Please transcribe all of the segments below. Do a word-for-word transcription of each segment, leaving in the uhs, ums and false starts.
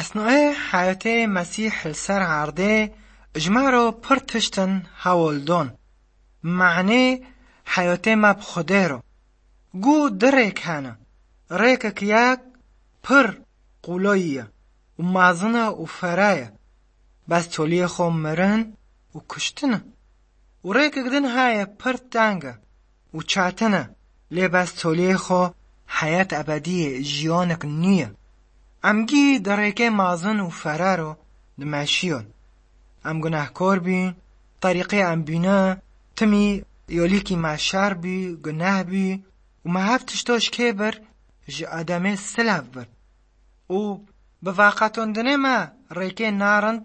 Esnayê heyatê Mesîh li ser erdê ji me re pir tiştin hewl don. Manê heyatê me bi Xwedê re. Gu du rêk hene. Rêkek yek pir qûloyî ye û mezin e û fere ye. Bes toliyê xwe mirin û kuştin e. Û rêkek din heye pir teng e û çetin e, lê bes toliyê xwe heyat ebedî ye, jiyanek nû ye. Em gî di rêkê mezin û fere re dimeşiyon. Em gunehkor bîn, terîqê em bîne, timî yolîkî me şer bî, guneh bî û me hev tişto ji kê bir, ji Ademê silav bir. Û bi veqetandinê me rêkê narind,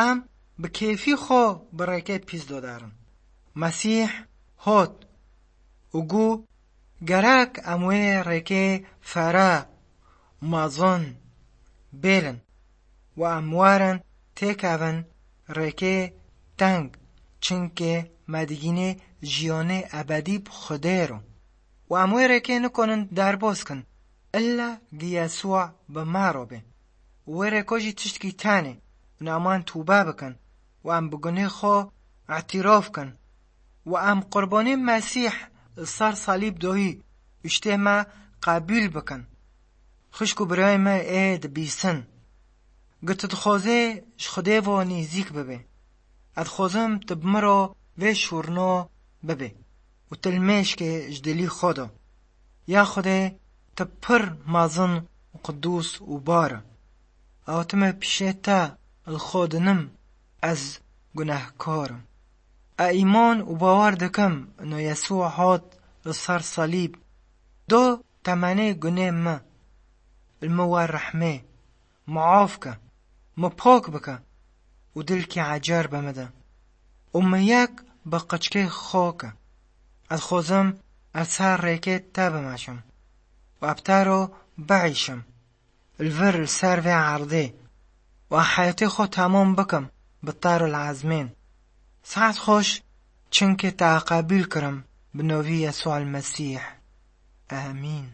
em bi kêfî xwe bi rêkê pîs doderin. Mesîh hot û gu, gerek em wê rêkê fere, mezin bêlin û em werin têkevin rêkê teng, çimkê me digînê jiyanê ebedî bi Xwedê re. Û em wê rêkê nikonin derbas kin, illa gi Yesûa bi me re be. Û wê rêko jî tiştkî tenê, û em an tûbe bikin û em bi gunê xwe îtîraf kin û em qurbanê Mesîh li ser salîb doyî û ji tê me qebûl bikin. Xwişk û birayê me ê dibîsin, gi tu dixwazê ji Xwedê ve nêzîk bibê, ez dixwazim tu bi min re vê şûrno bibê û tu li mêşkê ji dilî xwe de. Ya Xwedê, tu pir mezin û qidûs û bar e. Hatime pişê te, li xwe dinim, ez gunehkar im. Ez îman û bawer dikim, no Yesû hat li ser salîb, do temenê gunê min, li min wer rehmê, min af ke, min pak bike û dilkî ecer bi min de û min yek bi qiçkê xwe ke. Ez dixwazim ez ser rêkê te bimeşim û ez bi te re biîşim, li vir li ser vê erdê û ez heyatê xwe temam bikim bi te re li ezmên. Sihet xweş, çimkê te qebûl kirim bi navê Yesûa Mesîh. Amîn.